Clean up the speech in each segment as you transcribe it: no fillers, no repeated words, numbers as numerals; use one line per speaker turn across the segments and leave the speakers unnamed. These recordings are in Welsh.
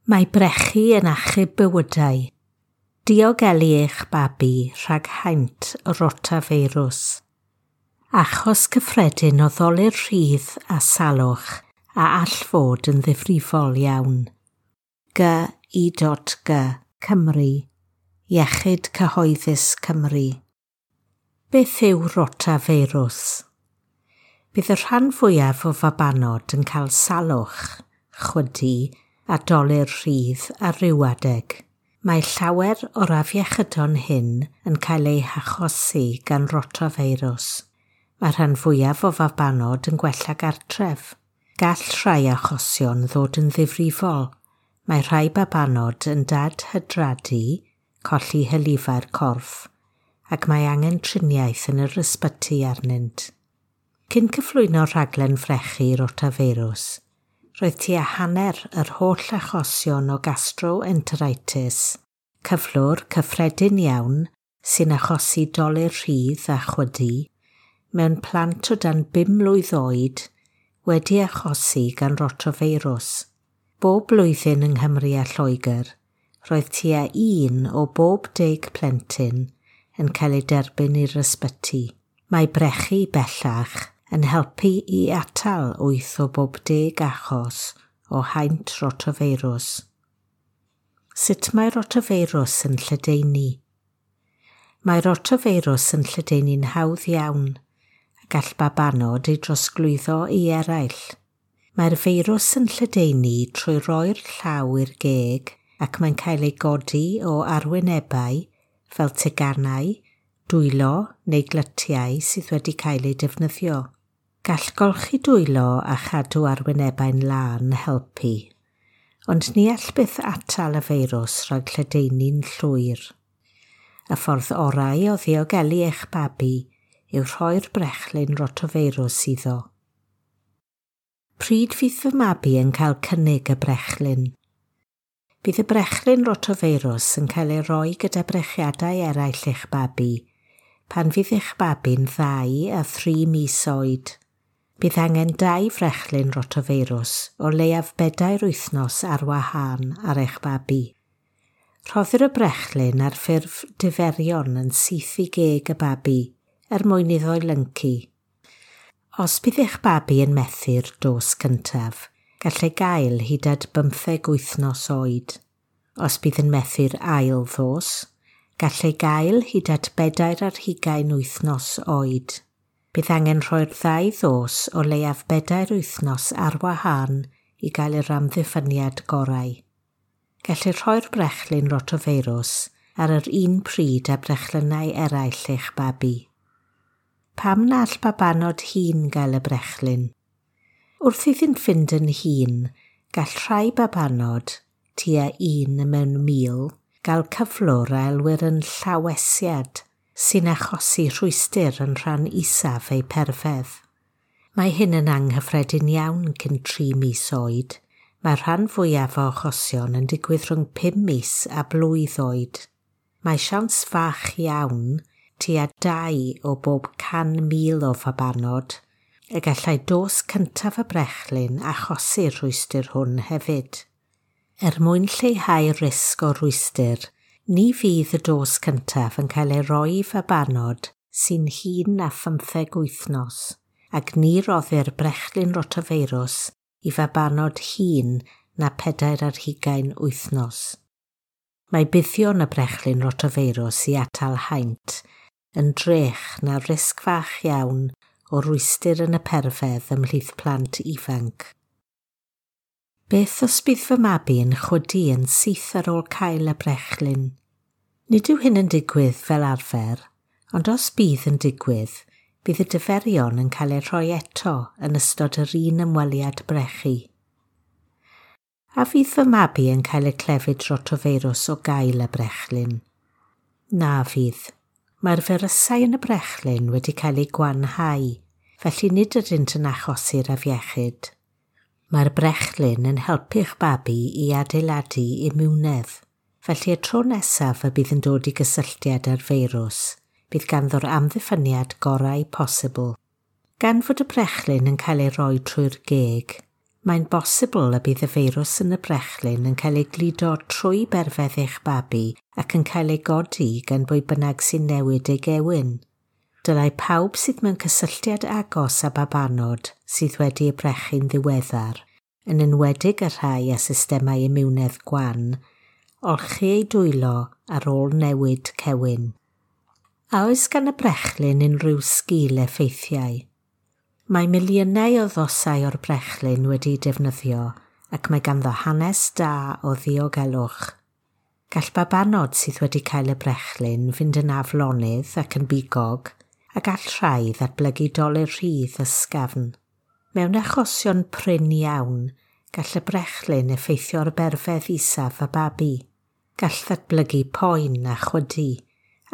Mae brechu yn achub bywydau. Diogelu eich babi rhag haint rotafeirws. Achos cyffredin o ddolur rhydd a salwch a all fod yn ddifrifol iawn. G I G Cymru. Iechyd Cyhoeddus Cymru. Beth yw rotafeirws? Bydd y rhan fwyaf o fabanod yn cael salwch, chwydu a dolur rhydd ar ryw adeg. Mae llawer o'r afiechydon hyn yn cael eu hachosi gan rotafeirws. Mae rhan fwyaf o fabanod yn gwella gartref. Gall rhai achosion ddod yn ddifrifol. Mae rhai babanod yn dadhydradu, colli hylifau'r corff, ac mae angen triniaeth yn yr ysbyty arnynt. Cyn cyflwyno rhaglen frechu rotafeirws, roedd tua hanner yr holl achosion o gastroenteritis, cyflwr cyffredin iawn sy'n achosi dolur rhydd a chwydu, mewn plant o dan 5 mlwydd oed wedi achosi gan rotafeirws. Bob blwyddyn yng Nghymru a Lloegr, roedd tua 1 o bob 10 plentyn yn cael ei derbyn i'r ysbyty. Mae brechu bellach yn helpu i atal 8 o bob 10 achos o haint rotafeirws. Sut mae rotafeirws yn lledaenu? Mae rotafeirws yn lledaenu'n hawdd iawn a gall babanod ei drosglwyddo i eraill. Mae'r feirws yn lledaenu trwy roi'r llaw i'r geg ac mae'n cael ei godi o arwynebau fel teganau, dwylo neu glytiau sydd wedi cael eu defnyddio. Gall golchi dwylo a chadw arwynebau'n lân helpu, ond ni all byth atal y feirws rhag lledaenu'n llwyr. Y ffordd orau o ddiogelu eich babi yw rhoi'r brechlyn rotafeirws iddo. Pryd fydd fy mabi yn cael cynnig y brechlyn? Bydd y brechlyn rotafeirws yn cael ei roi gyda brechiadau eraill eich babi pan fydd eich babi'n 2 a 3 mis oed. Bydd angen 2 frechlyn rotafeirws o leiaf 4 wythnos ar wahân ar eich babi. Rhoddir y brechlyn ar ffurf diferion yn syth i geg y babi er mwyn iddo lyncu. Os bydd eich babi yn methu'r dos cyntaf, gall ei gael hyd at 15 wythnos oed. Os bydd yn methu'r ail ddos, gall ei gael hyd at 24 wythnos oed. Bydd angen rhoi'r ddau ddos o leiaf 4 wythnos ar wahân i gael yr amddiffyniad gorau. Gellir rhoi'r brechlyn rotafeirws ar yr un pryd â brechlynnau eraill eich babi. Pam na all babanod hŷn gael y brechlyn? Wrth iddynt fynd yn hŷn, gall rhai babanod, tua 1 mewn 1,000, gael cyflwr a elwir yn llawesiad sy'n achosi rhwystr yn rhan isaf eu perfedd. Mae hyn yn anghyffredin iawn cyn 3 mis oed. Mae'r rhan fwyaf o achosion yn digwydd rhwng 5 mis a blwydd oed. Mae siawns fach iawn, tua 2 o bob 100,000 o fabanod, y gallai dos cyntaf y brechlyn achosi'r rhwystr hwn hefyd. Er mwyn lleihau risg o rwystr, ni fydd y dos cyntaf yn cael ei roi i fabanod sy'n hŷn na 15 wythnos, ac ni roddir brechlyn rotafeirws i fabanod hŷn na 24 wythnos. Mae buddion y brechlyn rotafeirws i atal haint yn drech na risg fach iawn o rwystr yn y perfedd ymhlith plant ifanc. Beth os bydd fy mabi yn chwydu yn syth ar ôl cael y brechlyn? Nid yw hyn yn digwydd fel arfer, ond os bydd yn digwydd, bydd y diferion yn cael eu rhoi eto yn ystod yr un ymweliad brechu. A fydd fy mabi yn cael y clefyd rotafeirws o gael y brechlyn? Na fydd. Mae'r feirysau yn y brechlyn wedi cael eu gwanhau, felly nid ydynt yn achosi'r afiechyd. Mae'r brechlyn yn helpu'ch babi i adeiladu imiwnedd, felly y tro nesaf y bydd yn dod i gysylltiad â'r feirws, bydd ganddo'r amddiffyniad gorau posibl. Gan fod y brechlyn yn cael ei roi trwy'r geg, Mae'n bosibl y bydd y feirws yn y brechlyn yn cael ei gludo trwy berfedd eich babi ac yn cael ei godi gan bwy bynnag sy'n newid ei gewyn. Dylai pawb sydd mewn cysylltiad agos â babanod sydd wedi eu brechu'n ddiweddar, yn enwedig y rhai â systemau imiwnedd gwan, olchi eu dwylo ar ôl newid cewyn. A oes gan y brechlyn unrhyw sgil effeithiau? Mae miliynau o ddosau o'r brechlyn wedi'u defnyddio ac mae ganddo hanes da o ddiogelwch. Gall babanod sydd wedi cael y brechlyn fynd yn aflonydd ac yn bigog, a gall rhai ddatblygu dolur rhydd ysgafn. Mewn achosion prin iawn, gall y brechlyn effeithio ar berfedd isaf y babi. Gall ddatblygu poen a chwydu,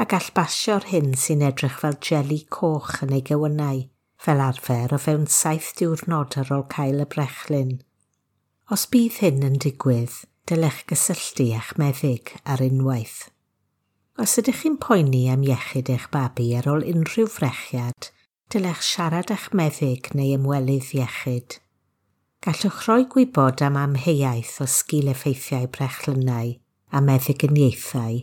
a gall basio'r hyn sy'n edrych fel jeli coch yn ei gewynnau, fel arfer o fewn 7 diwrnod ar ôl cael y brechlyn. Os bydd hyn yn digwydd, dylech gysylltu â'ch meddyg ar unwaith. Os ydych chi'n poeni am iechyd eich babi ar ôl unrhyw frechiad, dylech siarad â'ch meddyg neu ymwelydd iechyd. Gallwch roi gwybod am amheuaeth o sgil effeithiau brechlynnau a meddyginiaethau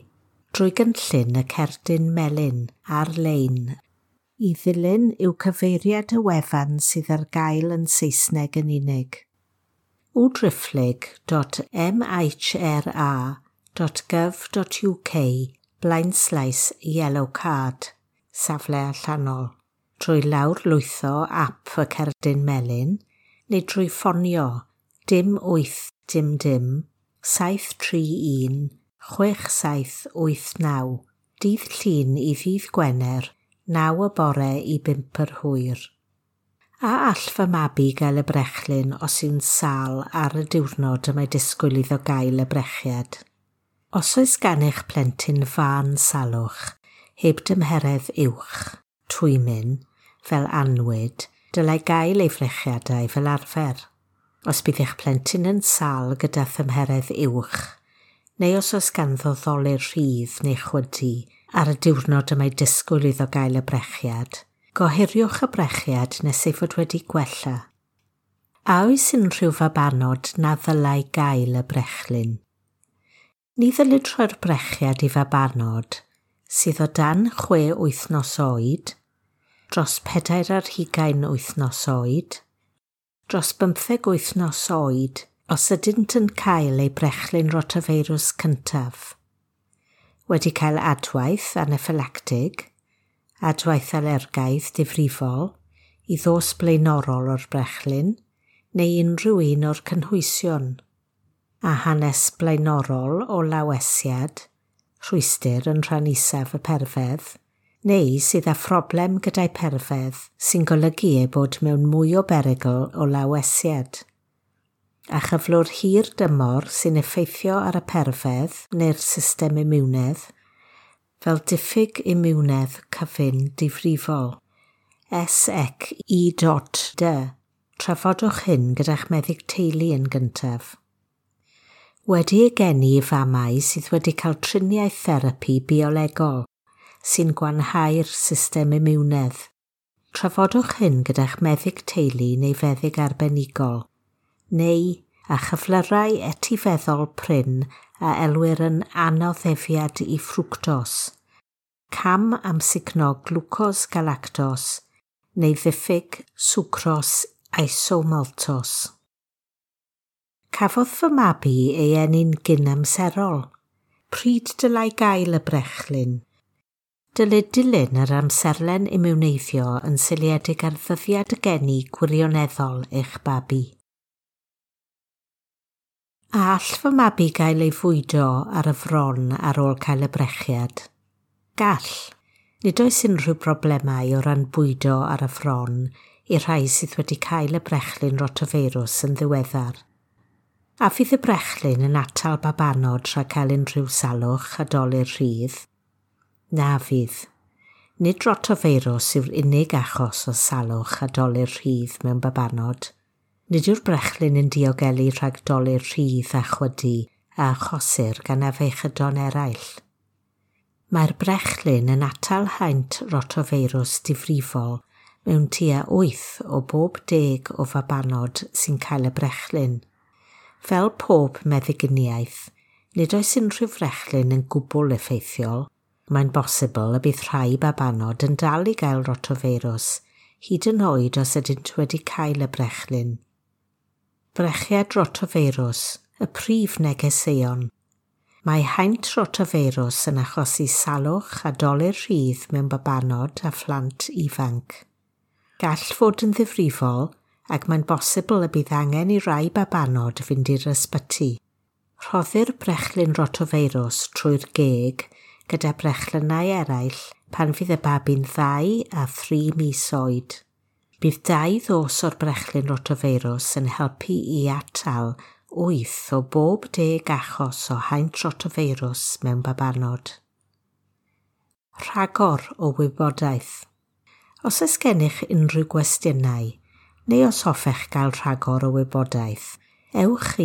drwy gynllun y cerdyn melyn ar-lein. I ddilyn yw cyfeiriad y wefan sydd ar gael yn Saesneg yn unig. www.mhra.gov.uk/yellow card, safle allanol, drwy lawrlwytho ap y cerdyn melyn neu drwy ffonio 0 8 0 0 731 6789, dydd Llun i ddydd Gwener, 9 y bore i 5 yr hwyr. A all fy mabi gael y brechlyn os yw'n sâl ar y diwrnod y mae disgwyl iddo gael y brechiad? Os oes gan eich plentyn fân salwch, heb dymheredd uwch, twymyn, fel anwyd, dylai gael ei frechiadau fel arfer. Os bydd eich plentyn yn sâl gyda thymheredd uwch, neu os oes ganddo ddolur rhydd neu chwydu ar y diwrnod y mae disgwyl iddo gael y brechiad, gohiriwch y brechiad nes ei fod wedi gwella. A oes unrhyw fabanod na ddylai gael y brechlyn? Ni ddylid rhoi'r brechiad i fabanod sydd o dan 6 wythnos oed, dros 24 wythnos oed, dros 15 wythnos oed os ydynt yn cael eu brechlyn rotafeirws cyntaf, wedi cael adwaith anaffylactig, adwaith alergaidd difrifol, i ddos blaenorol o'r brechlyn, neu unrhyw un o'r cynhwysion, a hanes blaenorol o lawesiad, rhwystr yn rhan isaf y perfedd, neu sydd â phroblem gyda'i perfedd sy'n golygu ei bod mewn mwy o berygl o lawesiad, a chyflwr hir dymor sy'n effeithio ar y perfedd neu'r system imiwnedd, fel diffyg imiwnedd cyfun difrifol. SEC-I.D. Trafodwch hyn gyda'ch meddyg teulu yn gyntaf. Wedi ei geni i famau sydd wedi cael triniaeth therapi biolegol sy'n gwanhau'r system imiwnedd. Trafodwch hyn gyda'ch meddyg teulu neu feddyg arbenigol, neu a chyflyrau etifeddol prin a elwir yn anoddefiad i ffrwctos, cam amsugno glwcos galactos neu ddiffyg swcros isomaltos. Cafodd fy mabi ei eni'n gynamserol. Pryd dylai gael y brechlyn? Dylid dilyn yr amserlen imiwneiddio yn seiliedig ar ddyddiad y geni gwirioneddol eich babi. A all fy mabi gael ei fwydo ar y fron ar ôl cael y brechiad? Gall. Nid oes unrhyw broblemau o ran bwydo ar y fron i'r rhai sydd wedi cael y brechlyn rotafeirws yn ddiweddar. A fydd y brechlyn yn atal babanod rhag cael unrhyw salwch a dolur rhydd? Na fydd. Nid rotafeirws yw'r unig achos o salwch a dolur rhydd mewn babanod. Nid yw'r brechlyn yn diogelu rhag dolur rhydd a chwydu a achosir gan afiechydon eraill. Mae'r brechlyn yn atal haint rotafeirws difrifol mewn tua 8 o bob 10 o fabanod sy'n cael y brechlyn. Fel pob meddyginiaeth, nid oes unrhyw frechlyn yn gwbl effeithiol. Mae'n bosibl y bydd rhai babanod yn dal i gael rotofeirws, hyd yn oed os ydynt wedi cael y brechlyn. Brechiad rotofeirws, y prif negeseuon. Mae haint rotofeirws yn achosi salwch a dolur rhydd mewn babanod a phlant ifanc. Gall fod yn ddifrifol ac mae'n bosibl y bydd angen i rai babanod fynd i'r ysbyty. Rhoddir brechlyn rotofeirws trwy'r geg gyda brechlynnau eraill pan fydd y babi'n 2 a 3 mis oed. Bydd 2 ddos o'r brechlyn rotofeirws yn helpu i atal 8 o bob 10 achos o haint rotofeirws mewn babanod. Rhagor o wybodaeth. Os oes gennych unrhyw gwestiynau, neu os hoffech gael rhagor o wybodaeth, ewch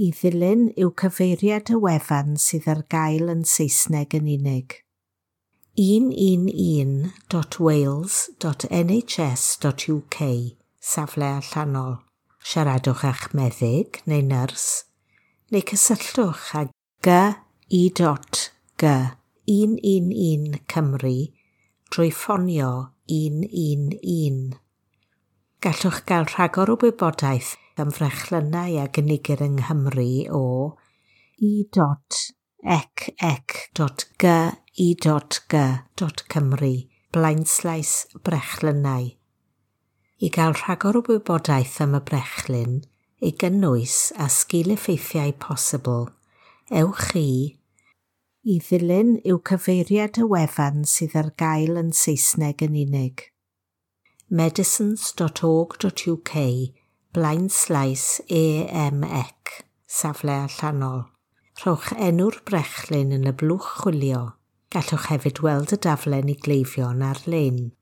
i ddilyn yw cyfeiriad y wefan sydd ar gael yn Saesneg yn unig. 111.wales.nhs.uk, safle allanol. Siaradwch â'ch meddyg neu nyrs, neu cysylltwch â G-I.G 111 Cymru drwy ffonio 111. Gallwch gael rhagor o wybodaeth am frechlynnau a gynigir yng Nghymru o i.ec.gi.g.cymru blaenslaes brechlynnau. I gael rhagor o wybodaeth am y brechlyn, ei gynnwys a sgil-effeithiau posibl, ewch i ddilyn yw cyfeiriad y wefan sydd ar gael yn Saesneg yn unig. medicines.org.uk blaenslaes AMEC, safle allanol. Rhowch enw'r brechlyn yn y blwch chwilio. Gallwch hefyd weld y daflen i gleifion ar-lein.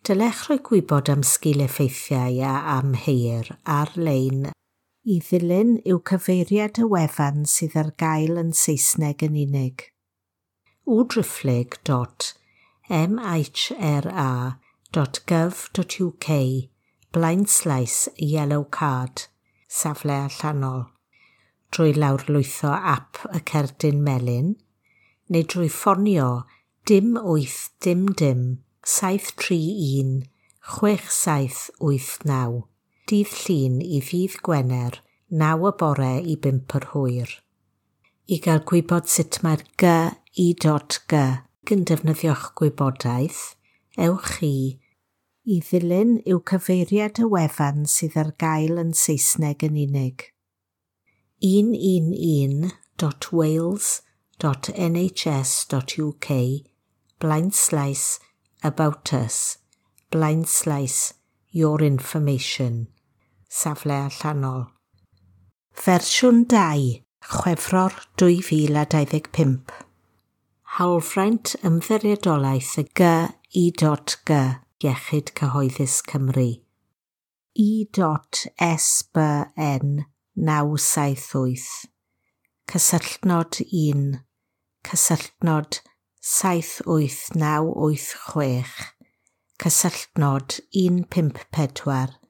Dylech rhoi gwybod am sgil-effeithiau a amheuir ar-lein. I ddilyn yw cyfeiriad y wefan sydd ar gael yn Saesneg yn unig. www.mhra.gov.uk blaenslaes yellow card, safle allanol. Drwy lawrlwytho app y cerdyn melyn, neu drwy ffonio dim 8 dim dim 731 6789, dydd Llun i ddydd Gwener, 9 y bore i 5 yr hwyr. I gael gwybod sut mae'r G-I.G yn defnyddio'ch gwybodaeth, ewch i ddilyn yw cyfeiriad y wefan sydd ar gael yn Saesneg yn unig. 111.wales.nhs.uk blaenslaes about us blaenslaes your information, safle allanol. Fersiwn 2, Chwefror 2025. Hawlfraint Ymddiriedolaeth y G-I.G Iechyd Cyhoeddus Cymru. I.SBN 978. Cysylltnod 1. Cysylltnod 78986. Cysylltnod 154.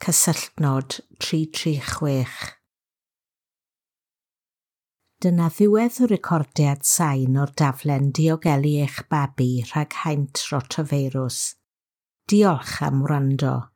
Cysylltnod 336. Dyna ddiwedd y recordiad sain o'r daflen Diogelu eich babi rhag haint rotofeirws. Diolch am wrando.